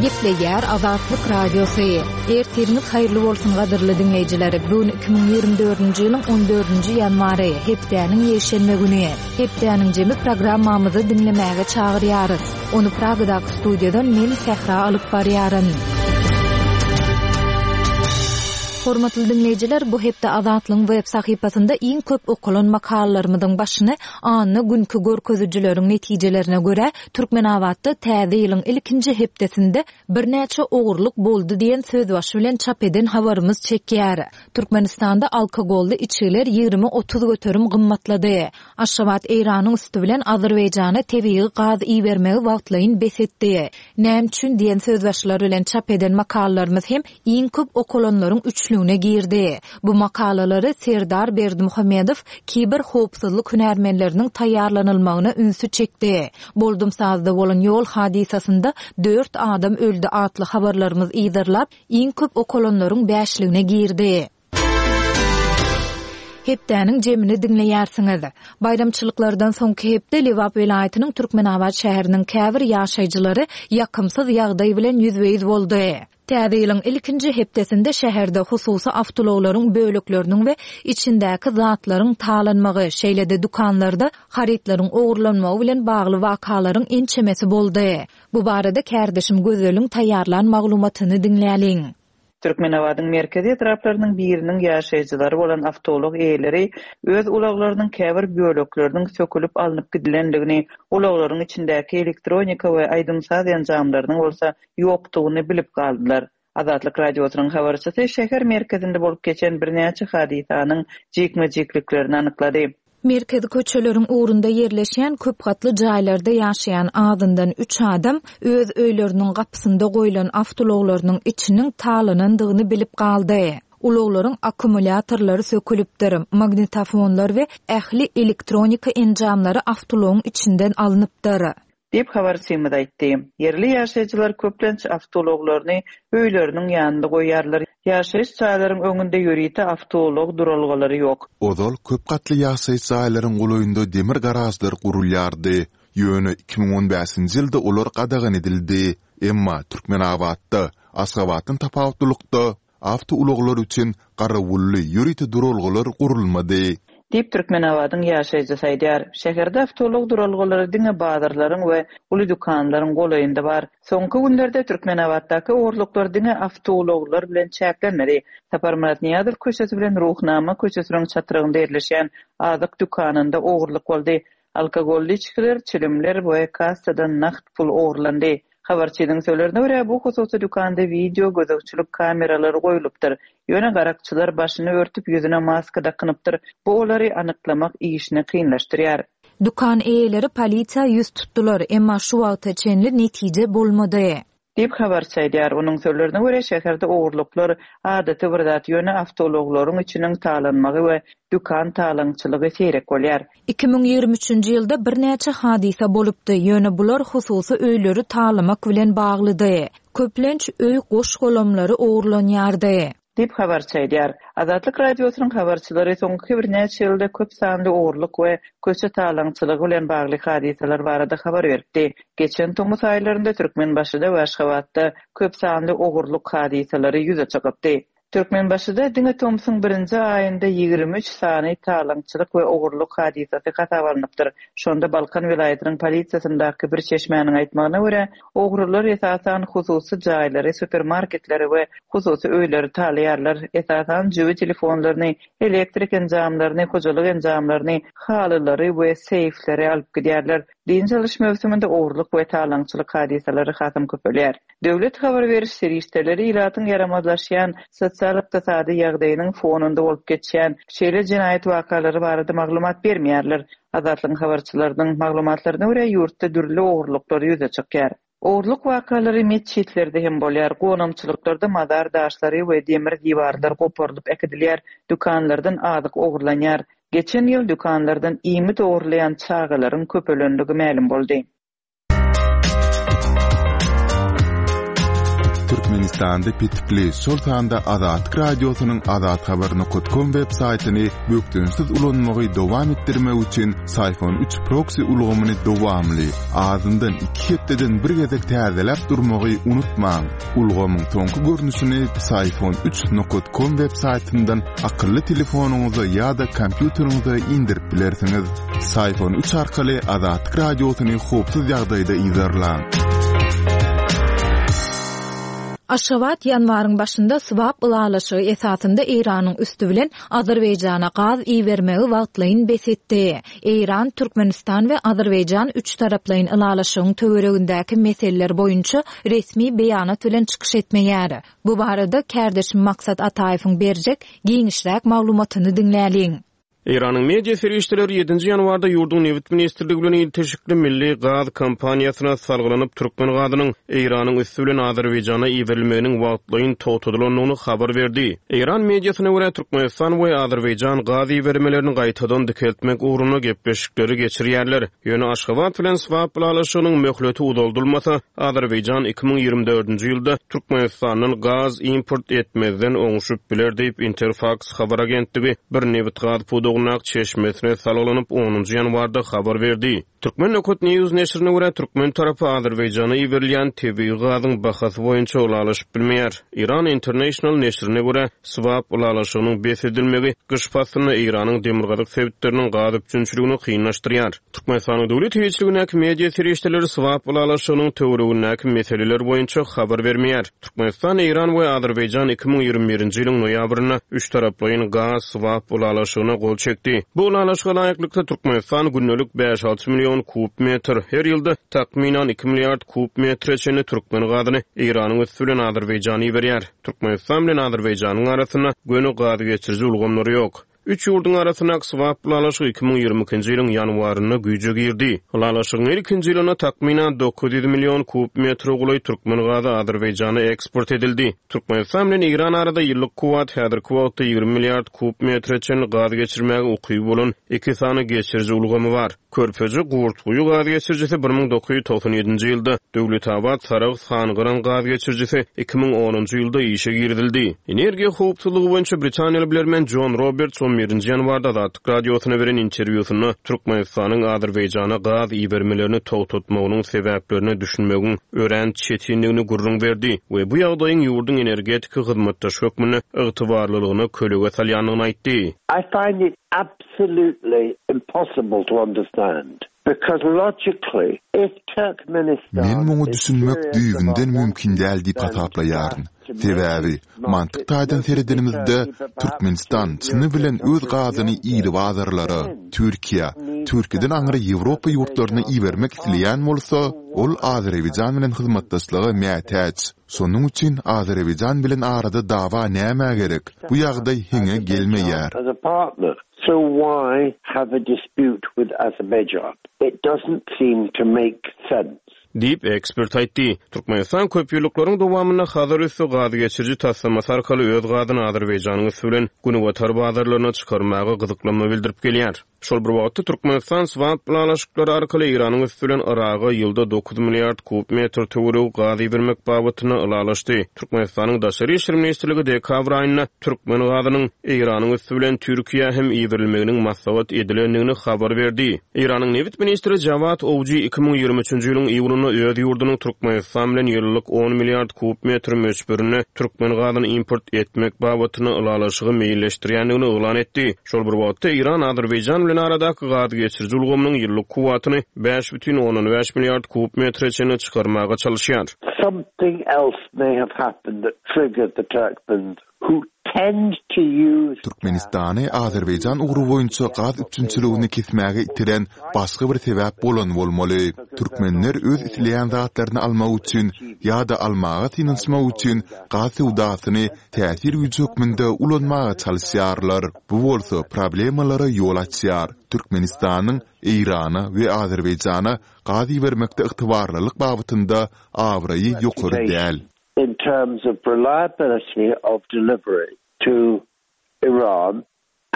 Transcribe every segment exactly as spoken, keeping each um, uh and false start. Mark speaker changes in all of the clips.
Speaker 1: Gepleýär Azatlyk Radiosy. Ertiriňiz haýyrly bolsun gadyrly diňleýjiler. Bu gün iki müň ýigrimi dördünji ýylyň on dördünji ýanwary, hepdäniň ýekşenbe güni. Hepdäniň jemi programmamyzy diňlemäge çagyrýarys. Ony Pragadaky studiýadan men Sähra alyp barýaryn. Hormatly diňleýjiler, bu hepde Azatlygyň web sahypasynda iň köp okalan makalalarymyzyň başyny anna günki görkezijileriň netijelerine görä Türkmenabatda täze ýylyň ilkinji hepdesinde birnäçe ogurlyk boldy diýen sözbaşy bilen çap eden habarymyz çekýär. Türkmenistanda alkogolly içgiler ýigrimi otuz göterim gymmatlady. Aşgabat Eýranyň üsti bilen Azerbaýjana tebigy gaz ibermegi wagtlaýyn bes etdi. Näme üçin diýen sözbaşylar bilen çap eden makalalarymyz hem iň köp okalanlaryň üçlügine girdi. Bu makalalary Serdar Berdimuhamedow kiber howpsuzlyk hünärmenleriniň taýýarlanylmagyna ünsi çekdi. Boldum sazda bolan ýol hadysasynda dört adam öldi atly habarlarymyz yzarlap, iň köp okalanlaryň bäşligine girdi. Hepdäniň jemini diňleýärsiňiz. Baýramçylyklardan soňky hepde Lebap welaýatynyň Türkmenabat şäheriniň käbir ýaşaýjylary ýakymsyz ýagdaý bilen ýüzbe-ýüz boldy. Täze ýylyň ilkinji hepdesinde şäherde hususy awtoulaglaryň bölekleriniň we içindäki zatlaryň talanmagy, şeýle-de dükanlarda harytlaryň ogurlanmagy bilen bagly wakalaryň ençemesi boldy. Bu barada kärdeşim Gözeliň taýýarlan maglumatyny diňläliň.
Speaker 2: Türkmenabadyň merkezi etraplarynyň biriniň ýaşaýjylary bolan awtoulag eýeleri öz ulaglarynyň käbir bölekleriniň sökülip alnyp gidilendigini, ulaglaryň içindäki elektronika we aýdym-saz enjamlarynyň bolsa ýokdugyny bilip galdylar. Azatlyk Radiosynyň habarçysy şäher merkezinde bolup geçen birnäçe hadysanyň jikme-jikliklerini anyklady.
Speaker 1: Merkezi köçeleriň ugrunda ýerleşýän köp gatly jaýlarda ýaşaýan azyndan üç adam öz öýleriniň gapysynda goýlan awtoulaglarynyň içiniň talanandygyny bilip galdy. Ulaglaryň akkumulýatorlary sökülipdir, magnitofonlar we ähli elektronika enjamlary awtoulagyň içinden alnypdyr.
Speaker 2: Diýip habarçymyz aýtdy. Ýerli ýaşaýjylar köplenç awtoulaglaryny öýleriniň ýanynda goýýarlar. Ýaşaýyş jaýlaryň öňünde ýörite awtoulag duralgalary ýok.
Speaker 3: Ozal köp gatly ýaşaýyş jaýlaryň golaýynda demir garažlar gurulýardy. Ýöne iki müň on bäşinji ýylda olar gadagan edildi. Emma Türkmenabatda, Aşgabatdan tapawutlylykda awtoulaglar üçin garawully ýörite duralgalar gurulmady.
Speaker 2: Diýip Türkmenabadyň ýaşaýjysy aýdýar. Şäherde awtoulag duralgalary diňe bazarlaryň we uly dükanlaryň golaýynda bar. Soňky günlerde Türkmenabatdaky ogurlyklar diňe awtoulaglar bilen çäklenmedi. Saparmyrat Nyýazow köçesi bilen Ruhnama köçesiniň çatrygynda ýerleşýän azyk dükanynda ogurlyk boldy. Alkogolly içgiler, çilimler we kassadan nagt pul ogurlandy. Habarçynyň sözlerine görä bu hususy dükanda video gözegçilik kameralary goýlupdyr. Ýöne garakçylar başyny örtüp ýüzüne maska dakynypdyr. Bu olary anyklamak işini kynlaşdyrýar.
Speaker 1: Dükan eýeleri polisiýa ýüz tutdular, emma şu wagta çenli netije bolmady.
Speaker 2: Diýip habarçy aýdýar. Onuň sözlerine görä şäherde ogurlyklar adaty bir zat, ýöne awtoulaglaryň içiniň talanmagy we dükan talaňçylygy seýrek bolýar.
Speaker 1: Iki müň ýigrimi üçünji ýylda birnäçe hadysa bolupdy, ýöne bular hususy öýleri talamak bilen baglydy. Köplenç öý goş-golamlary ogurlanýardy.
Speaker 2: Diýip habarçy aýdýar. Azatlyk Radiosynyň habarçylary soňky birnäçe ýylda köp sanly ogurlyk we köçe talaňçylygy bilen bagly hadysalar barada habar beripdi. Geçen tomus aýlarynda Türkmenbaşyda we Aşgabatda köp sanly ogurlyk hadysalary ýüze çykypdy. Türkmenbaşyda diňe tomsuň birinji aýynda ýigrimi üç sany talaňçylyk we ogurlyk hadysasy hasap alnypdyr. Şonda Balkan welaýatynyň polisiýasyndaky bir çeşmäniň aýtmagyna görä, ogrular esasan hususy jaýlary, supermarketleri we hususy öýleri talaýarlar. Esasan jübi telefonlaryny, elektrik enjamlaryny, hojalyk enjamlaryny, halylary we seýfleri alyp gidýärler. Dynç alyş möwsüminde ogurlyk we talaňçylyk hadysalary hasam köpelýär. Döwlet habar beriş serişdeleri ilatyň ýaramazlaşýan sosial-ykdysady ýagdaýynyň fonunda bolup geçýän şeýle jenaýat wakalary barada maglumat bermeýärler. Azatlygyň habarçylarynyň maglumatlaryna görä ýurtda dürli ogurlyklar ýüze çykýar. Ogurlyk wakalary metjitlerde hem bolýar. Gonamçylyklarda mazar daşlary we demir diwarlar goparylyp äkidilýär. Dükanlardan azyk ogurlanýar. Geçen ýyl dükanlardan iýmit ogurlaýan çagalaryň köpelenligi mälim boldy.
Speaker 3: Türkmenistanda petikli, şol sanda Azatlyk Radiosynyň azathabar nokat kom web saýtyny bökdençsiz ulanmagy dowam etdirmek üçin Psiphon üç proksi ulgamyny dowamly, azyndan iki hepdeden bir gezek täzeläp durmagy unutmaň. Ulgamyň soňky görnüşini Psiphon üç nokat kom web saýtyndan akylly telefonyňyza ýa-da kompýuteriňize indirip bilersiňiz. Psiphon üç arkaly Azatlyk Radiosyny howpsuz ýagdaýda yzarlaň.
Speaker 1: Aşgabat ýanwaryň başynda swap ylalaşygy esasynda Eýranyň üsti bilen Azerbaýjana gaz ibermegi wagtlaýyn bes etdi. Eýran, Türkmenistan we Azerbaýjan üç taraplaýyn ylalaşygyň töweregindäki meseleler boýunça resmi beýanat bilen çykyş etmeýär. Bu barada kärdeşim Maksat Ataýewiň berjek giňişräk maglumatyny diňläliň.
Speaker 4: Eýranyň media serişdeleri ýedinji ýanwarda ýurduň nebit ministrligi bilen ilteşikli milli gaz kompaniýasyna salgylanyp türkmen gazynyň Eýranyň üsti bilen Azerbaýjana iberilmeginiň wagtlaýyn togtadylandygyny habar berdi. Eýran mediasyna görä Türkmenistan we Azerbaýjan gaz ibermelerini gaýtadan dikeltmek ugrunda gepleşikleri geçirýärler. Ýöne Aşgabat bilen swap ylalaşygynyň möhleti uzaldylmasa, Azerbaýjan iki müň ýigrimi dördünji ýylda Türkmenistandan gaz import etmezden oňşup biler diýip Interfax habar agentligi bir nebit gaz pudagyndaky çeşmesine salgylanyp onunjy ýanwarda habar berdi. Türkmen Nokat News neşirine görä türkmen tarapy Azerbaýjana iberilýän tebigy gazyň bahasy boýunça ylalaşyp bilmeýär. Iran International neşirine görä swap ylalaşygynyň bes edilmegi gyş paslynda Eýranyň demirgazyk sebitleriniň gaz üpjünçiligini kynlaşdyrýar. Türkmenistanyň döwlet eýeçiligindäki media serişdeleri swap ylalaşygynyň töweregindäki meseleler boýunça habar bermeýär. Türkmenistan, Eýran we Azerbaýjan iki müň ýigrimi birinji ýylyň noýabrynda üç taraplaýyn gaz swap ylalaşygyna gol çekdi. Bu ylalaşyga laýyklykda Türkmenistan gündelik bäş alty million kub metr, her ýylda takmynan iki milliard kub metre çenli türkmen gazyny Eýranyň üsti bilen Azerbaýjana iberýär. Türkmenistan bilen Azerbaýjanyň arasynda göni gaz geçiriji ulgamlary ýok. Üç ýurduň arasyndaky swap ylalaşygy iki müň ýigrimi ikinji ýylyň ýanwarynda güýje girdi. Ylalaşygyň ilkinji ýylynda takmynan dokuz ýüz million kub metre golaý türkmen gazy Azerbaýjana eksport edildi. Türkmenistan bilen Eýran arada ýyllyk kuwwat häzirki wagtda ýigrimi milliard kub metre çenli gaz geçirmäge ukyby bolan iki sany geçiriji ulgamy bar. Körpeji Gurtguýy gaz geçirijisi bir müň dokuz ýüz togsan ýedinji ýylda, Döwletabat Saragt Hangyran gaz geçirijisi iki müň onunjy ýylda işe girizildi. Energiýa howpsuzlygy boýunça Britaniýaly bilermen John Roberts on birinji ýanwarda Azatlyk Radiosyna beren interwýusynda Türkmenistanyň Azerbaýjana gaz ibermelerini togtatmagynyň sebäplerine düşünmegiň örän çetinligini gürrüň berdi we bu ýagdaýyň ýurduň energetika hyzmatdaşy hökmünde ygtybarlylygyna kölege salýandygyny aýtdy.
Speaker 5: I find it absolutely impossible to understand. Because logically, if Turkmenistan
Speaker 3: Men muňa
Speaker 5: is
Speaker 3: düşünmek
Speaker 5: serious
Speaker 3: düýbünden
Speaker 5: about
Speaker 3: mümkin däl diýip
Speaker 5: wanting
Speaker 3: hasaplaýaryn.
Speaker 5: to make
Speaker 3: Sebäbi mantyk taýdan seredenimizde Türkmenistan çyny bilen öz gazyny iri bazarlara, Türkiýe, Türkiýeden aňry Ýewropa ýurtlaryna ibermek isleýän bolsa, ol Azerbaýjan bilen hyzmatdaşlyga mätäç. Şonuň üçin Azerbaýjan bilen arada dawa näme gerek? Bu ýagdaý heňe gelmeýär.
Speaker 5: As a partner. So why have a dispute with Azerbaijan? It doesn't seem to make sense.
Speaker 4: Diýip ekspert aýtdy. Türkmenistan köp ýyllyklaryň dowamynda Hazar üsti gaz geçiriji taslamasy arkaly öz gazyny Azerbaýjanyň üsti bilen Günbatar bazarlaryna çykarmaga gyzyklanma bildirip gelýär. Şol bir wagtda Türkmenistan swap ylalaşyklary arkaly Eýranyň üsti bilen Yraga ýylda dokuz milliard kub metr töweregi gaz ibermek babatynda ylalaşdy. Türkmenistanyň Daşary işler ministrligi dekabr aýynda türkmen gazynyň Eýranyň üsti bilen Türkiýä hem iberilmeginiň maslahat edilendigini habar berdi. Eýranyň nebit ministri Jawad Owji iki müň ýigrimi üçünji ýylyň iýunynda öz ýurdunyň Türkmenistan bilen ýyllyk on milliard kub metr möçberinde türkmen gazyny import etmek babatynda ylalaşygy meýilleşdirýändigini yglan etdi. Şol bir wagtda Eýran Azerbaýjan bilen aradaky gaz geçiriji ulgamynyň ýyllyk kuwwatyny bäş bütin ondan bäş milliard kub metre çenli çykarmaga çalışýar.
Speaker 5: Something else may have happened that triggered the Turkmens who tend to use
Speaker 3: Türkmenistany Azerbaýjan ugry boýunça gaz üpjünçiligini kesmäge itiren başga bir sebäp bolan bolmaly. Türkmenler öz isleýän zatlaryny almak üçin ýa-da almaga synanyşmak üçin gaz söwdasyny täsir güýji hökmünde ulanmaga çalışýarlar. Bu bolsa problemalara ýol açýar. Türkmenistanyň Eýrana we Azerbaýjana gaz ibermekde ygtybarlylyk babatynda abraýy ýokary däl.
Speaker 5: In terms of reliability of delivery to Iran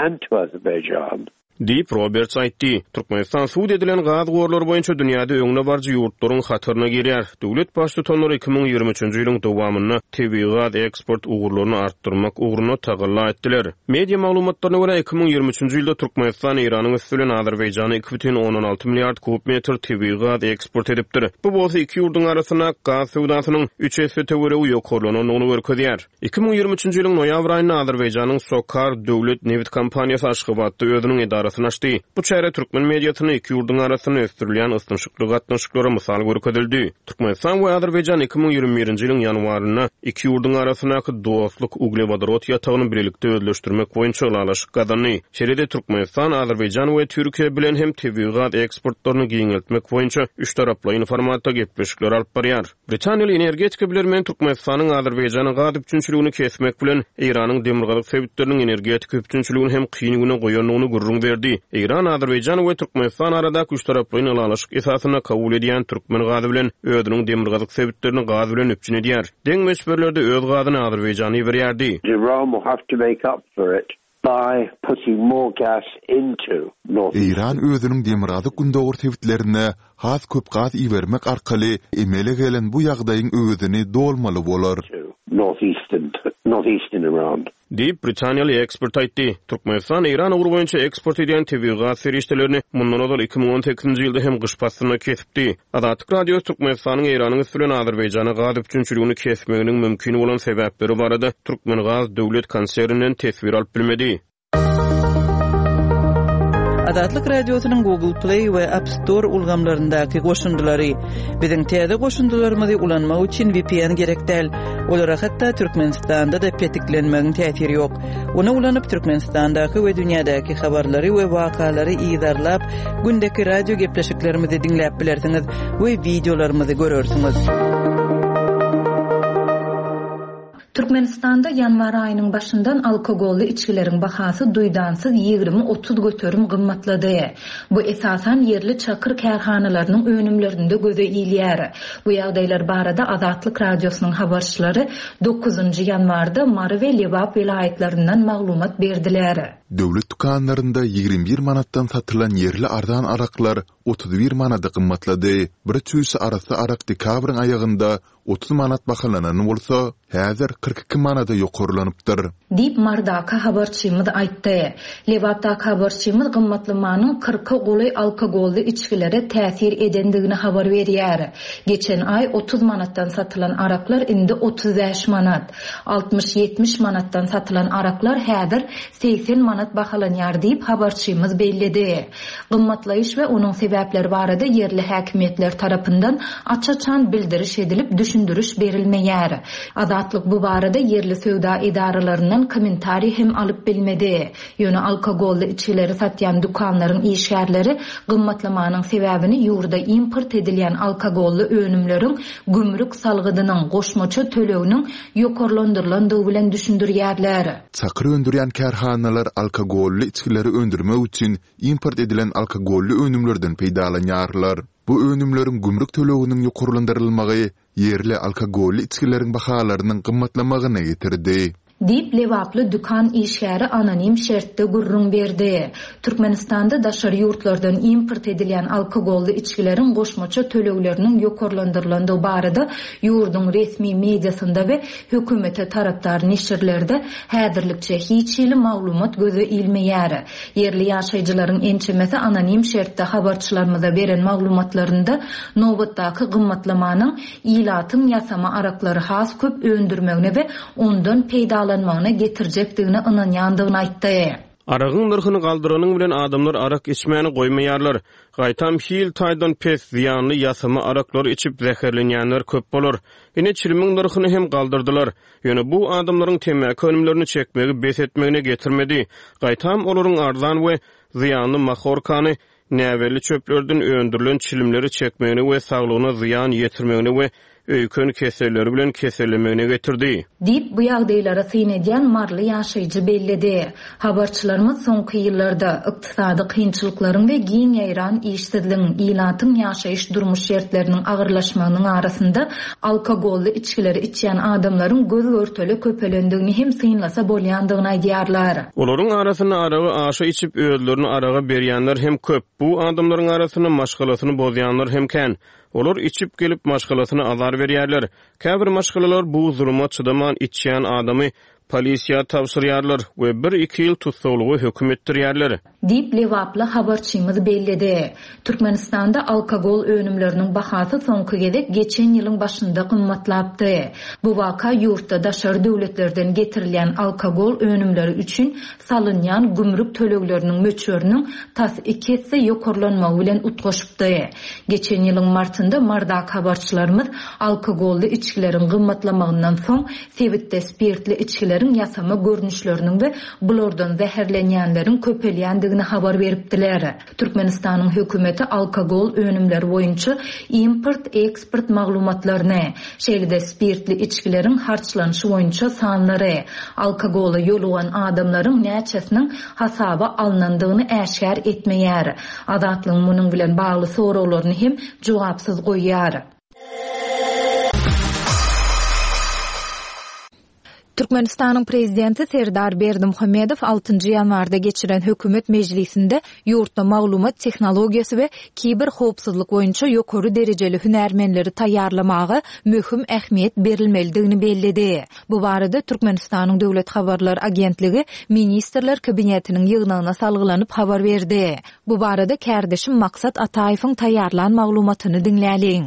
Speaker 5: and to Azerbaijan.
Speaker 4: Diýip, Roberts aýtdy. Türkmenistan sud edilen gaz gorlary boýunça dünýäde öňdebaryjy ýurtlaryň hataryna girýär. Döwlet Baştutanlary iki müň ýigrimi üçünji ýylyň dowamynda tebigy gaz eksport ugurlaryny artdyrmak ugrunda tagalla etdiler. Media maglumatlaryna görä, iki müň ýigrimi üçünji ýylda Türkmenistan Eýranyň üsti bilen Azerbaýjana iki bütin ondan alty milliard kub metr tebigy gaz eksport edipdir. Bu bolsa iki ýurduň arasyndaky gaz söwdasynyň üç esse töweregi ýokarlanandygyny görkezýär. Iki müň ýigrimi üçünji ýylyň noýabr aýynda Azerbaýjanyň SOCAR döwlet nebit kompaniýasy Aşgabatda özüniň edarasyny açdy. Bu çäre türkmen mediasynda iki ýurduň arasynda ösdürilýän ysnyşykly gatnaşyklara mysal görkezildi. Türkmenistan we Azerbaýjan iki müň ýigrimi birinji ýylyň ýanwarynda iki ýurduň arasyndaky Dostluk uglewodorod ýatagyny bilelikde özleşdirmek boýunça ylalaşyk gazandy. Şeýle-de Türkmenistan, Azerbaýjan we Türkiýe bilen hem tebigy gaz eksportlaryny giňeltmek boýunça üçtaraplaýyn formatda gepleşikler alyp barýar. Britaniýaly energetika bilermeni Türkmenistanyň Azerbaýjana gaz üpjünçiligini kesmek bilen, Eýranyň demirgazyk sebitleriniň energetika üpjünçiligini hem kyn güne goýandygyny gürrüň berdi. Eýran, Azerbaýjan we Türkmenistan aradaky üçtaraplaýyn ylalaşyk esasynda kabul edýän türkmen gazy bilen özüniň demirgazyk sebitlerini gaz bilen üpjün edýär. Deň möçberlerde öz gazyny Azerbaýjana iberýärdi.
Speaker 5: Iran will have to make up for it by putting more gas into North
Speaker 3: Eýran özüniň demirgazyk-gündogar sebitlerine has köp gaz ibermek arkaly emele gelen bu ýagdaýyň öwezini dolmaly bolar.
Speaker 5: Northeastern, Northeastern Iran.
Speaker 4: Diýip, britaniýaly ekspert aýtdy. Türkmenistan Eýran ugry boýunça eksport edýän tebigy gaz serişdelerini mundan ozal iki müň on sekizinji ýylda hem gyş paslynda kesipdi. Azatlyk Radiosy Türkmenistanyň Eýranyň üsti bilen Azerbaýjana gaz üpjünçiligini kesmeginiň mümkin bolan sebäpleri barada Türkmengaz döwlet konserninden teswir alyp bilmedi.
Speaker 2: Azatlyk Radiosynyň Google Play we App Store ulgamlaryndaky goşundylary. Biziň täze goşundylarymyzy ulanmak üçin V P N gerek däl. Olara hatda Türkmenistanda-da petiklenmegiň täsiri ýok. Ony ulanyp Türkmenistandaky we dünýädäki habarlary we wakalary yzarlap, gündeki radio gepleşiklerimizi diňläp bilersiňiz we wideolarymyzy görersiňiz.
Speaker 1: Türkmenistanda ýanwar aýynyň başyndan alkogolly içgileriň bahasy duýdansyz ýigrimi otuz göterim gymmatlady. Bu esasan ýerli çakyr kärhanalarynyň önümlerinde göze ilýär. Bu ýagdaýlar barada Azatlyk Radiosynyň habarçylary dokuzynjy ýanwarda Mary we Lebap welaýatlaryndan maglumat berdiler.
Speaker 3: Döwlet dükanlarynda ýigrimi bir manatdan satylan ýerli arzan araklar otuz bir manada gymmatlady. Bir çüýşe arassa arak dekabryň aýagynda otuz manat bahalanan bolsa, häzir kyrk iki manada ýokarlanypdyr.
Speaker 1: Diýip Mardaka habarçymyz aýtdy. Lebapdaky habarçymyz gymmatlamanyň kyrka golaý alkogolly içgilere täsir edendigini habar berýär. Geçen aý otuz manatdan satylan araklar indi otuz bäş manat, altmyş ýetmiş manatdan satylan araklar häzir segsen manat bahalanýar diýip habarçymyz belledi. Gymmatlaýyş we onuň sebäpleri barada ýerli häkimiýetler tarapyndan aç-açan bildiriş edilip düşündiriş berilmeýär. Azatlyk bu barada ýerli söwda edaralaryndan kommentariý hem alyp bilmedi. Ýöne alkogolly içgileri satýan dükanlaryň işgärleri gymmatlamanyň sebäbini ýurda import edilýän alkogolly önümleriň gümrük salgydynyň goşmaça töleginiň ýokarlandyrylandygy bilen düşündirýärler.
Speaker 3: Çakyr öndürýän kärhanalar alkogolly içgileri öndürmek üçin import edilen alkogolly önümlerden peýdalanýarlar. Bu önümleriň gümrük töleginiň ýokarlandyrylmagy ýerli alkogolly içgileriň bahalarynyň gymmatlamagyna getirdi.
Speaker 1: Diýip Lebaply dükan işgäri anonim şertde gürrüň berdi. Türkmenistanda daşary ýurtlardan import edilýän alkogolly içgileriň goşmaça tölegleriniň ýokarlandyrylandygy barada ýurduň resmi mediasynda we hökümete tarapdar neşirlerde häzirlikçe hiç hili maglumat göze ilmeýär. Ýerli ýaşaýjylaryň ençemesi anonim şertde habarçylarymyza beren maglumatlarynda nobatdaky gymmatlamanyň ilatyň ýasama araklary has köp öndürmegine we ondan peýdalanmagyna getirjekdigine ynanýandygyny aýtdy.
Speaker 4: Aragyň nyrhyny galdyranyň bilen adamlar arak içmäni goýmaýarlar. Gaýtam hil taýdan pes zyýanly ýasama araklary içip zäherlenýänler köp bolar. Ine çilimiň nyrhyny hem galdyrdylar. Ýöne bu adamlaryň temmäki önümlerini çekmegi bes etmegine getirmedi. Gaýtam olaryň arzan we zyýanly mahorkany näbelli çöplerden öndürilen çilimleri çekmegine we saglygyna zyýan ýetirmegine we öýken keselleri bilen kesellemegine getirdi.
Speaker 1: Diýip, bu ýagdaýlara syn edýän maryly ýaşaýjy belledi. Habarçylarymyz soňky ýyllarda, ykdysady kynçylyklaryň we giň ýaýran işsizligiň, ilatyň ýaşaýyş-durmuş şertleriniň agyrlaşmagynyň arasynda alkogolly içgileri içýän adamlaryň göz-görtele köpelendigini hem synlasa bolýandygyny aýdýarlar.
Speaker 4: Olaryň arasynda aragy aşa içip, özlerini araga berýänler hem köp. Bu adamlaryň arasynda maşgalasyny bozýanlar hem kän. Olar içip gelip, maşgalasyna azar berýärler. Käbir maşgalalar bu zuluma çydaman, içýän adamy polisiýa tabşyrýarlar we bir-iki ýyl tussaglyga höküm etdirýärler.
Speaker 1: Diýip, lebaply habarçymyz belledi. Türkmenistanda alkogol önümleriniň bahasy soňky gezek geçen ýylyň başynda gymmatlapdy. Bu waka ýurtda daşary döwletlerden getirilýän alkogol önümleri üçin salynýan gümrük tölegleriniň möçberiniň tas iki esse ýokarlanmagy bilen utgaşypdy. Geçen ýylyň martynda Mardaky habarçylarymyz alkogolly içgileriň gymmatlamagyndan soň sebitde spirtli içgileriň ýasama görnüşleriniň we bulardan zäherlenýänleriň köpelýändigini habar beripdiler. Türkmenistanyň hökümeti alkogol önümleri boýunça import-eksport maglumatlaryny, şeýle-de spirtli içgileriň harçlanyşy boýunça sanlary, alkogola ýolugan adamlaryň näçesiniň hasaba alnandygyny äşgär etmeýär. Azatlygyň munuň bilen bagly soraglaryny hem jogapsyz goýýar. Türkmenistanyň Prezidenti Serdar Berdimuhamedow altynjy ýanwarda geçiren hökümet mejlisinde ýurtda maglumat tehnologiýasy we kiberhowpsuzlyk boýunça ýokary derejeli hünärmenleri taýýarlamaga möhüm ähmiýet berilmelidigini belledi. Bu barada Türkmenistanyň Döwlet habarlar agentligi Ministrler Kabinetiniň ýygnagyna salgylanyp habar berdi. Bu barada kärdeşim Maksat Ataýewiň taýýarlan maglumatyny diňläliň.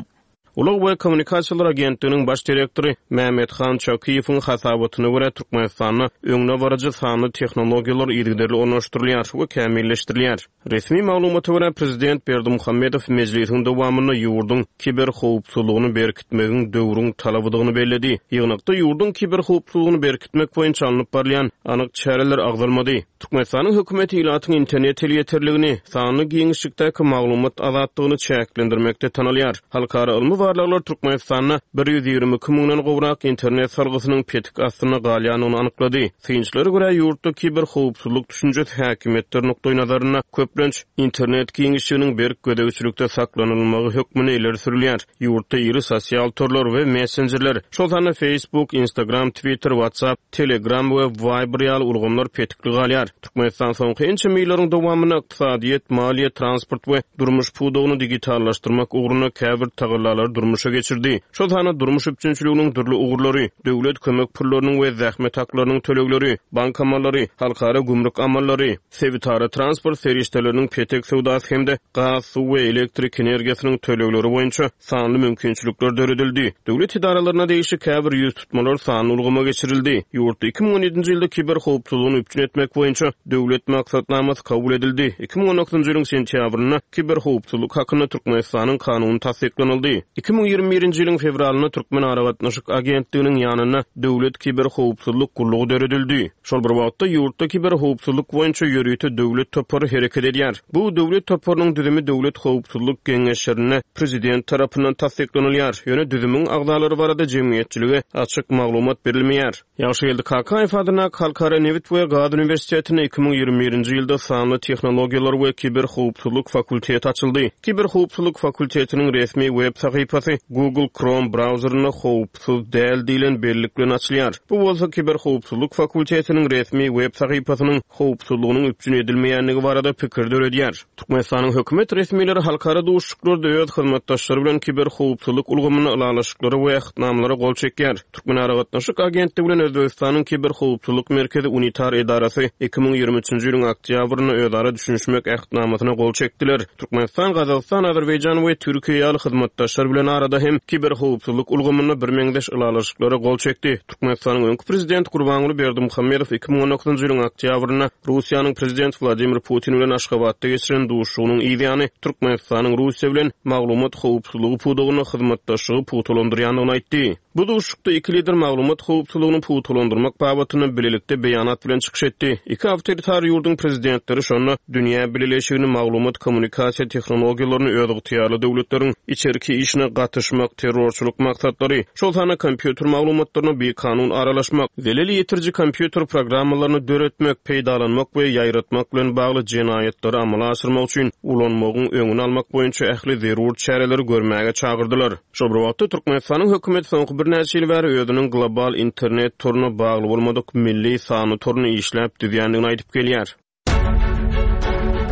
Speaker 4: Ulag we kommunikasiýalar agentliginiň baş direktory Mämmethan Çakyýewiň hasabatyna görä, Türkmenistanda öňdebaryjy sanly tehnologiýalar yzygiderli ornaşdyrylýar we kämilleşdirilýär. Resmi maglumata görä, prezident Berdimuhamedow mejlisiň dowamynda ýurduň kiberhowpsuzlygyny berkitmegiň döwrüň talabydygyny belledi. Ýygnakda ýurduň kiberhowpsuzlygyny berkitmek boýunça alnyp barylýan anyk çäreler agzalmady. Türkmenistanyň hökümeti ilatyň internet elýeterligini, sanly giňişlikdäki maglumat azatlygyny çäklendirmekde tanalýar. Halkara ylmy barlaglar Türkmenistanda bir ýüz ýigrimi iki müňden gowrak internet salgysynyň petik astynda galýandygyny anyklady. Synçylara görä, ýurtda kiberhowpsuzlyk düşünjesi häkimiýetler nukdaýnazarynda köplenç internet giňişliginiň berk gözegçilikde saklanylmagy hökmünde ileri sürülýär. Ýurtda iri sosial torlar we messenjerler, şol sanda Facebook, Instagram, Twitter, WhatsApp, Telegram we Viber ýaly ulgamlar petikli galýar. Türkmenistan soňky ençeme ýyllaryň dowamynda ykdysadyýet, maliýe, transport we durmuş pudagyny digitallaşdyrmak ugrunda käbir tagallalary durmuşa geçirdi. Şol sanda durmuş üpjünçiliginiň dürli ugurlary, döwlet kömek pullarynyň we zähmet haklarynyň tölegleri, bank amallary, halkara gümrük amallary, sebitara transport serişdeleriniň petek söwdasy hem-de gaz, suw we elektrik energiýasynyň tölegleri boýunça sanly mümkinçilikler döredildi. Döwlet edaralaryna degişli käbir ýüz tutmalar sanly ulgama geçirildi. Ýurtda iki müň on ýedinji ýylda kiberhowpsuzlygyny üpjün etmek boýunça döwlet maksatnamasy kabul edildi. Iki müň on dokuzynjy ýylyň sentýabrynda kiberhowpsuzlyk hakynda Türkmenistanyň kanuny tassyklanyldy. Iki müň ýigrimi birinji ýylyň fewralynda Türkmen aragatnaşyk agentliginiň ýanynda Döwlet kiberhowpsuzlyk gullugy döredildi. Şol bir wagtda ýurtda kiberhowpsuzlyk boýunça ýörite döwlet topary hereket edýär. Bu döwlet toparynyň düzümi Döwlet howpsuzlyk geňeşlerinde prezident tarapyndan tassyklanylýar. Ýöne düzümiň agzalary barada jemgyýetçilige açyk maglumat berilmeýär. Ýagşygeldi Kakaýew adyndaky Halkara nebit we gaz uniwersitetinde iki müň ýigrimi birinji ýylda sanly tehnologiýalar we kiberhowpsuzlyk fakulteti açyldy. Kiberhowpsuzlyk fakultetiniň resmi web sahypasy Google Chrome brauzerinde howpsuz däl diýlen bellik bilen açylýar. Bu bolsa kiberhowpsuzlyk fakultetiniň resmi web sahypasynyň howpsuzlygynyň üpjün edilmeýändigi barada pikir döredýär. Türkmenistanyň hökümet resmileri halkara duşuşyklarda öz hyzmatdaşlary bilen kiberhowpsuzlyk ulgamynda ylalaşyklara we ähtnamalara gol çekýär. Türkmen aragatnaşyk agentligi bilen Özbegistanyň Kiberhowpsuzlyk merkezi unitar edarasy iki müň ýigrimi üçünji ýylyň oktýabrynda özara düşünişmek ähtnamasyna gol çekdiler. Türkmenistan, Gazagystan, Azerbaýjan we Türkiýe ýaly hyzmatdaşlar bilen arada hem kiberhowpsuzlyk ulgamynda birmeňzeş ylalaşyklara gol çekdi. Türkmenistanyň öňki prezidenti Gurbanguly Berdimuhamedow iki müň on dokuzynjy ýylyň oktýabrynda Russiýanyň prezidenti Wladimir Putin bilen Aşgabatda geçiren duşuşygynyň yzýany Türkmenistanyň Russiýa bilen maglumat howpsuzlygy pudagynda hyzmatdaşlygy pugtalandyrýandygyny aýtdy. Bu duşuşykda iki lider maglumat howpsuzlygyny pugtalandyrmak babatynda bilelikde beýanat bilen çykyş etdi. Iki awtoritar ýurduň prezidentleri şonda dünýä bileleşigini maglumat kommunikasiýa tehnologiýalaryny özygtyýarly döwletleriň içerki işine işine gatyşmak, terrorçylyk maksatlary, şol sanda kompýuter maglumatlaryna bikanun aralaşmak, zelel ýetiriji kompýuter programmalaryny döretmek, peýdalanmak we ýaýratmak bilen bagly jenaýatlary amala aşyrmak üçin ulanmagyň öňüni almak boýunça ähli zerur çäreleri görmäge çagyrdylar. Şol bir wagtda, Türkmenistanyň hökümeti soňky birnäçe ýyl bäri özüniň global internet toruna bagly bolmadyk milli sanly toruny işläp düzýändigini aýdyp gelýär.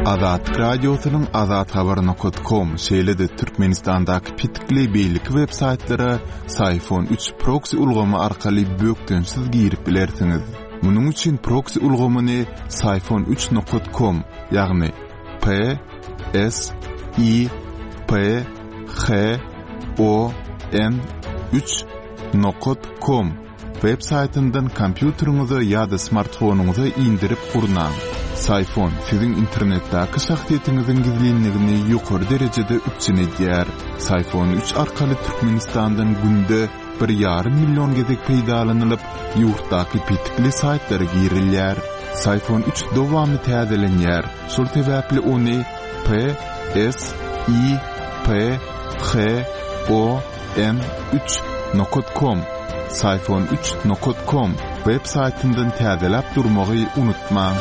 Speaker 3: Azatlyk Radiosynyň azathabar nokat kom, şeýle-de Türkmenistandaky petikli beýleki web saýtlara Syfon üç proksi ulgamy arkaly bökdençsiz girip bilersiňiz. Munuň üçin proksi ulgamyny Syfon üç nokat kom, ýagny P S I P H O N üç nokat kom web saýtyndan kompýuteriňize ýa-da smartfonyňyza indirip gurnaň. Syfon siziň internetdäki şahsyýetiňiziň gizlinligini ýokary derejede üpjün edýär. Syfon üç arkaly Türkmenistandan günde bir ýarym million gezek peýdalanylyp, ýurtdaky petikli saýtlara girilýär. Syfon üç dowamly täzelenýär. Şol sebäpli ony P S I P H O N üç nokat kom, Syfon üç nokat kom web saýtyndan täzeläp durmagy unutmaň.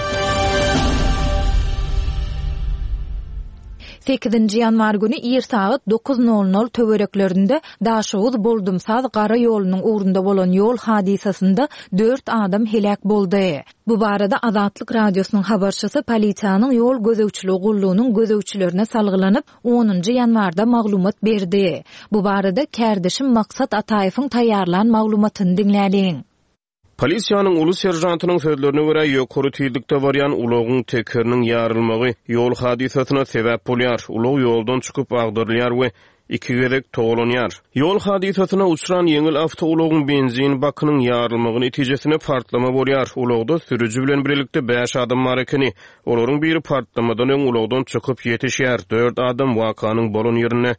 Speaker 1: Sekizinji ýanwar güni ir sagat dokuz nol nol töwereklerinde Daşoguz Boldumsaz gara ýolunyň ugrunda bolan ýol hadysasynda dört adam heläk boldy. Bu barada Azatlyk Radiosynyň habarçysy polisiýanyň ýol gözegçiligi gullugynyň gözegçilerine salgylanyp onunjy ýanwarda maglumat berdi. Bu barada kärdeşim Maksat Ataýewiň taýýarlan maglumatyny diňläliň.
Speaker 4: Polisiýanyň uly serjantynyň sözlerine görä ýokary tizlikde barýan ulagyň tekeriniň ýarylmagy ýol hadysasyna sebäp bolýar. Ulag ýoldan çykyp agdarylýar we iki gezek togalanýar. Ýol hadysasyna uçran ýeňil awtoulagyň benzin bakynyň ýarylmagy netijesinde partlama bolýar. Ulagda sürüji bilen birlikde bäş adam bar ekeni. Olaryň biri partlamadan öň ulagdan çykyp ýetişýär. Dört adam wakanyň bolan ýerinde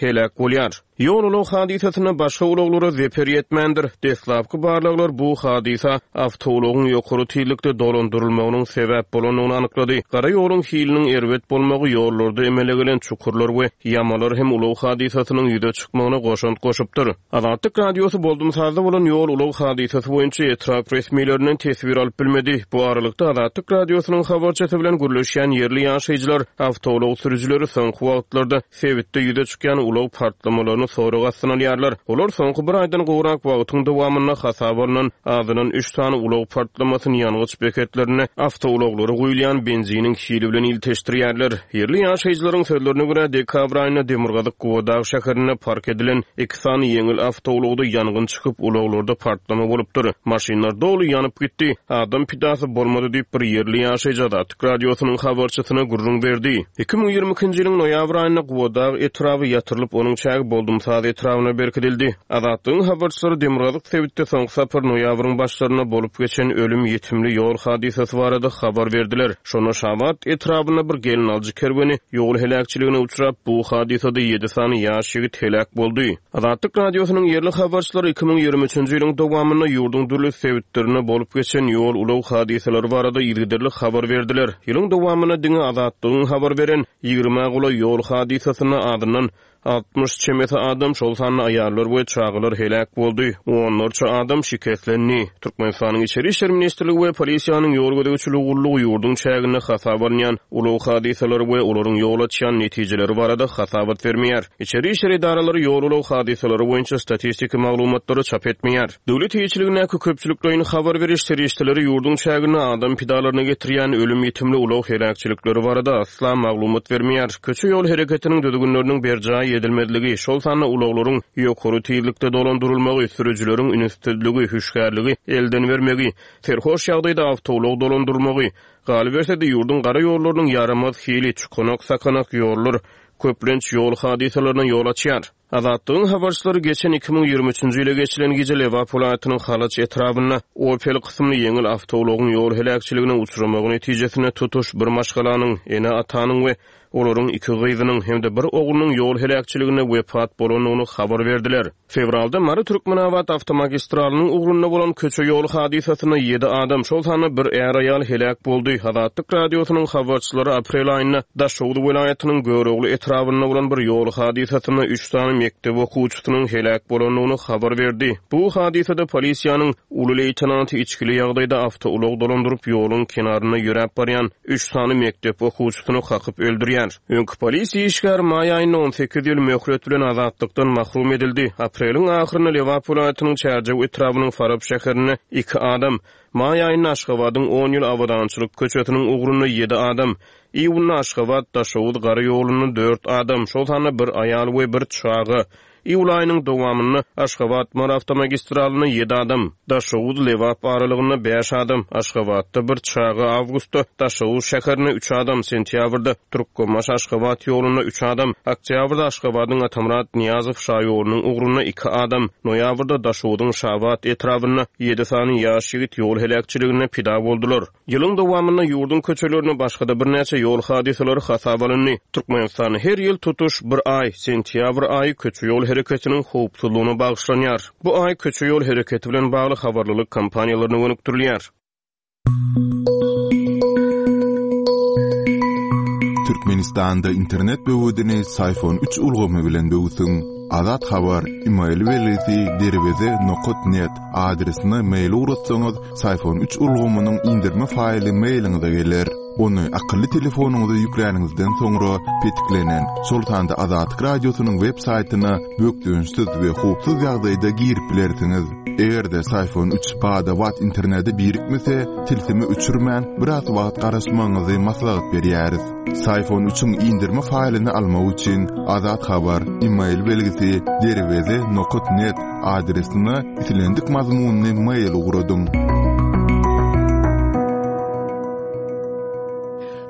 Speaker 4: heläk bolýar. Ýol ulag hadysasynda başga ulaglara zeper ýetmändir. Deslapky barlaglar bu hadysa awtoulagyň ýokary tizlikde dolandyrylmagynyň sebäp bolandygyny anyklady. Gara ýoluň hiliniň erbet bolmagy ýollarda emele gelen çukurlar we ýamalar hem ulag hadysasynyň ýüze çykmagyna goşant goşupdyr. Azatlyk Radiosy Boldumsazda bolan ýol ulag hadysasy boýunça etrap resmilerinden teswir alyp bilmedi. Bu aralykda Azatlyk Radiosynyň habarçysy bilen gürleşýän ýerli ýaşaýjylar awtoulag sürüjileri soňky wagtlarda sebitde ýüze çykýan ulag partlamalaryny sorag astyna alýarlar. Olar soňky bir aýdan gowrak wagtyň dowamynda hasaba alnan azyndan üç sany ulag partlamasyny ýangyç beketlerine awtoulaglara guýulýan benziniň hili bilen ilteşdirýärler. Ýerli ýaşaýjylaryň sözlerine görä dekabr aýynda Demirgazyk Gubadag şäherinde park edilen iki sany ýeňil awtoulagda ýangyn çykyp ulaglarda partlama bolupdyr. Maşynlar doly ýanyp gitdi. Adam pidasy bolmady diýip bir ýerli ýaşaýjy Azatlyk Radiosynyň habarçysyna gürrüň berdi. Iki müň ýigrimi ikinji ýylyň noýabr aýynda Gubadag etraby ýatyrylyp, onuň çägi Boldumsaz etrabyna berkidildi. Azatlygyň habarçylary Demirgazyk sebitde soňky sapar noýabryň başlarynda bolup geçen ölüm ýetimli ýol hadysasy barada habar berdiler. Şonda Şabat etrabynda bir gelin alyjy kerweni ýol heläkçiligine uçrap, bu hadysada ýedi sany ýaş ýigit heläk boldy. Azatlyk Radiosynyň ýerli habarçylary iki müň ýigrimi üçünji ýylyň dowamynda ýurduň dürli sebitlerinde bolup geçen ýol ulag hadysalary barada yzygiderli habar berdiler. Ýylyň dowamynda diňe Azatlygyň habar beren ýigrimi golaý ýol hadysasynda azyndan altmyş çemesi adam, şol sanda aýallar we çagalar heläk boldy. Onlarça adam şikeslendi. Türkmenistanyň Içeri İşler Ministrligi we polisiýanyň ýol gözegçiligi gullugy ýurduň çäginde hasaba alynýan ulag hadysalary we olaryň ýol açýan netijeleri barada hasabat bermeýär. Içeri İşler edaralary ýol ulag hadysalary boýunça statistiki maglumatlary çap etmeýär. Döwlet eýeçiligindäki köpçülikleýin habar beriş serişdeleri ýurduň çäginde adam pidalaryna getirýän ölüm ýetimli ulag heläkçilikleri barada asla maglumat bermeýär. Köçe ýol hereketiniň düzgünleriniň berjaý edilmezligi, şol sanda ulaglaryň ýokary tizlikde dolandyrylmagy, sürüjileriň ünessizligi, hüşgärligi elden bermegi, serhoş ýagdaýda awtoulag dolandyrylmagy, galyberse-de ýurduň gara ýollarynyň ýaramaz hili, çukanak sakanak ýollar köplenç ýol hadysalaryna ýol açýar. Azatlygyň habarçylary geçen iki müň ýigrimi üçünji ýyla geçilen gije Lebap welaýatynyň Halaç etrabynda Opel kysymly ýeňil awtoulagyň ýol heläkçiligine uçramagy netijesinde tutuş bir maşgalanyň, ene-atanyň we olaryň iki gyzynyň hem-de bir oglunyň ýol heläkçiligine wepat bolandygyny habar berdiler. Fewralda Mary Türkmenabat awtomagistralynyň ugrunda bolan köçe ýol hadysasynda ýedi adam, şol sanda bir är-aýal heläk boldy. Azatlyk Radiosynyň habarçylary aprel aýynda Daşoguz welaýatynyň Görogly etrabynda bolan bir ýol hadysasynda üç sany mekdep okuwçysynyň heläk bolandygyny habar berdi. Bu hadysada polisiýanyň uly leýtenanty içgili ýagdaýda awtoulag dolandyryp ýoluň kenarynda ýöräp barýan üç sany mekdep okuwçysyny kakyp öldürýär. Öňki polisiýa işgäri maý aýynda on sekiz ýyl möhlet bilen azatlykdan mahrum edildi. Apreliň ahyrynda Lebap welaýatynyň Çärjew etrabynyň Farap şäherinde iki adam, maý aýynda Aşgabadyň on ýyl Abadançylyk köçesiniň ugrunda ýedi adam, iýunda Aşgabat Daşoguz gara ýolunda dört adam, şol sanda bir aýal we bir çaga, iýul aýynyň dowamynda Aşgabat Mary awtomagistralynda ýedi adam, Daşoguz Lebap aralygynda bäş adam, Aşgabatda bir çaga, awgustda Daşoguz şäherinde üç adam, sentýabrda Türkmenbaşy Aşgabat ýolunda üç adam, oktýabrda Aşgabadyň Atamyrat Nyýazow şaýolunyň ugrunda iki adam, noýabrda Daşoguzyň Şabat etrabynda ýedi sany ýaş ýigit ýol heläkçiliginde pida boldular. Ýylyň dowamynda ýurduň köçelerine başga-da birnäçe ýol hadysalary hasap alyndy. Türkmenistanda her ýyl tutuş bir aý, sentýabr aýy köçe ýol hereketiniň howpsuzlygyna bagyşlanýar. Bu aý köçe ýol hereketi bilen bagly habarlylyk kampaniýalaryna gönükdirilýär.
Speaker 3: Türkmenistanda internet böwedini Syfon üç ulgamy bilen böwsüň. Azat Habar, e-mail belgisi derweze nokta net adresine mail ugratsaňyz, Syfon üç ulgamynyň indirme faýly mailiňize geler. Ony akylly telefonyňyza ýükläniňizden soňra petiklenen, şol sanda Azatlyk radiosynyň web saýtyna bökdençsiz we howpsuz ýagdaýda girip bilersiňiz. Eger-de Syfon üç bada-bat internete birikmese, tilsimi öçürmän biraz wagt garaşmagyňyzy maslahat berýäris. Syfon üçiň indirme faýlyny almak üçin Azat Habar, e-mail belgisi derweze nokta net adresine islendik mazmunyny mail ugradyň.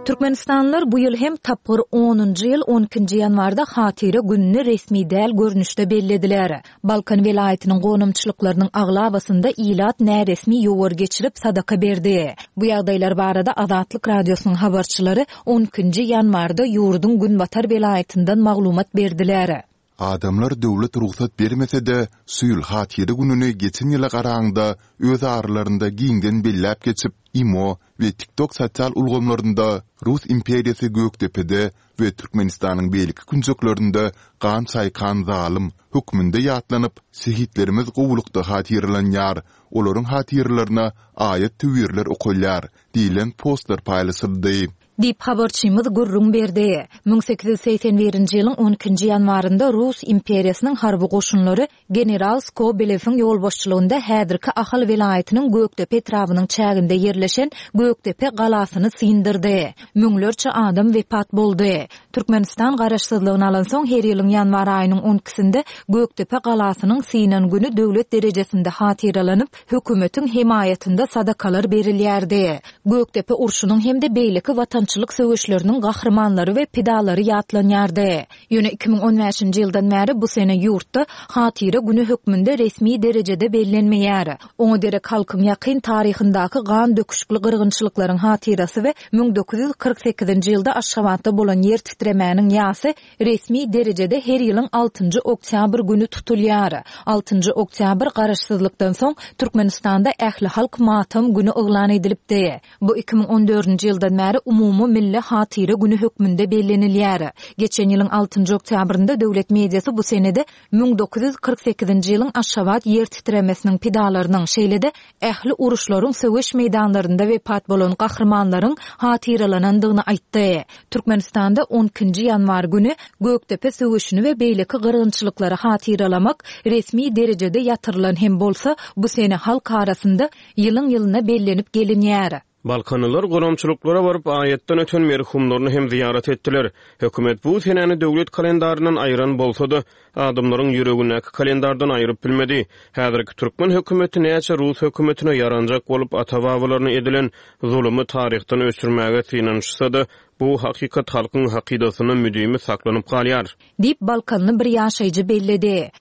Speaker 1: Türkmenistanlylar bu ýyl hem tapgyr onunjy ýyl on ikinji ýanwarda Hatyra gününi resmi däl görnüşde bellediler. Balkan welaýatynyň gonamçylyklarynyň aglabasynda ilat näresmi ýowar geçirip sadaka berdi. Bu ýagdaýlar barada Azatlyk radiosynyň habarçylary on ikinji ýanwarda ýurduň Günbatar welaýatyndan maglumat berdiler.
Speaker 3: Adamlar döwlet rugsat bermese-de, şu ýyl Hatyra gününi geçen ýyla garaňda öz aralarynda giňden belläp geçip, IMO we TikTok sosial ulgamlarynda Rus imperiýasy Gökdepede we Türkmenistanyň beýleki künjeklerinde gan çaýkan zalym hökmünde ýatlanyp, şehitlerimiz gowulykda hatyralanýar, olaryň hatyralaryna aýat töwirler okalýar diýlen postlar paýlaşyldy.
Speaker 1: Diýip habarçymyz gürrüň berdi. Müň sekiz ýüz segsen birinji ýylyň on ikinji ýanwarynda Rus imperiýasynyň harby goşunlary General Skobelewiň ýolbaşçylygynda häzirki Ahal welaýatynyň Gökdepe etrabynyň çäginde ýerleşen Gökdepe galasyny syndyrdy. Müňlerçe adam wepat boldy. Türkmenistan garaşsyzlygyny alan soň her ýylyň ýanwar aýynyň on ikisinde Gökdepe galasynyň synan günü döwlet derejesinde hatyralanyp, hökümetiň hemaýatynda sadakalar berilýärdi. Gökdepe urşunyň hem-de beýleki watançylyk söweşleriniň gahrymanlary we pidalary ýatlanýardy. Ýöne iki müň on bäşinji ýyldan bäri bu sene ýurtda Hatyra günü hökmünde resmi derejede bellenmeýär. Oňa derek halkyň ýakyn taryhyndaky gan döküşikli gyrgynçylyklaryň hatyrasy we müň dokuz ýüz kyrk sekizinji ýylda Aşgabatda bolan ýer titremäniň ýasy resmi derejede her ýylyň altynjy oktýabr günü tutulýar. Altynjy oktýabr garaşsyzlykdan soň Türkmenistanda ähli halk matam günü yglan edilipdi. Bu iki müň on dördünji ýyldan bäri umumy milli hatyra günü hökmünde bellenilýär. Geçen ýylyň altynjy oktýabrynda döwlet mediasy bu senede müň dokuz ýüz kyrk sekizinji ýylyň Aşgabat ýer titremesiniň pidalarynyň, şeýle-de ähli uruşlaryň söweş meýdanlarynda wepat bolan gahrymanlaryň hatyralanandygyny aýtdy. Türkmenistanda on ikinji ýanwar günü Gökdepe söweşini we beýleki gyrgynçylyklary hatyralamak resmi derejede ýatyrylan hem bolsa, bu sene halk arasynda ýylyň-ýylyna bellenip gelinýär.
Speaker 4: Balkanlylar gonamçylyklara baryp aýatdan öten merhumlaryny hem ziýaret etdiler. Hökümet bu senäni döwlet kalendaryndan aýyran bolsa-da, adamlaryň ýüregindäki kalendardan aýyryp bilmedi. Häzirki türkmen hökümeti näçe Rus hökümetine ýaranjak bolup ata-babalaryna edilen zulumy taryhdan öçürmäge synanyşsa-da, bu hakykat halkyň hakydasyna müdimi saklanyp galýar.
Speaker 1: Diýip Balkanly bir ýaşaýjy belledi.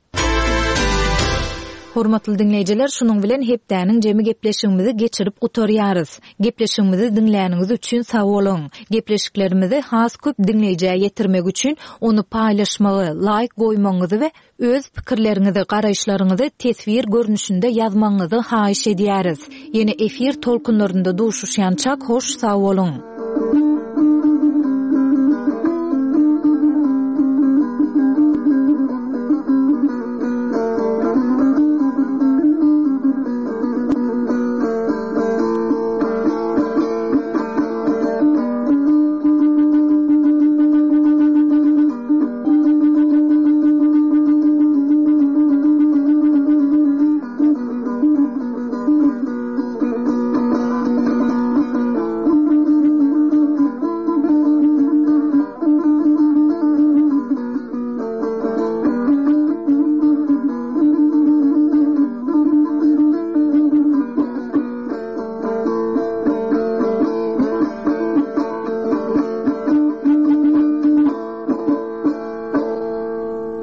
Speaker 1: Hormatly dinleýjiler, şunuň bilen hepdäniň jemi gepleşigimizi geçirip gutarýarys. Gepleşigimizi diňläniňiz üçin sag boluň. Gepleşiklerimizi has köp dinleýjä ýetirmek üçin ony paýlaşmagy, laýk goýmagyňyzy we öz pikirleriňizi, garaýyşlaryňyzy teswir görnüşinde ýazmagyňyzy haýyş edýäris. Ýene efir tolkunlarynda duşuşýançak hoş sag boluň.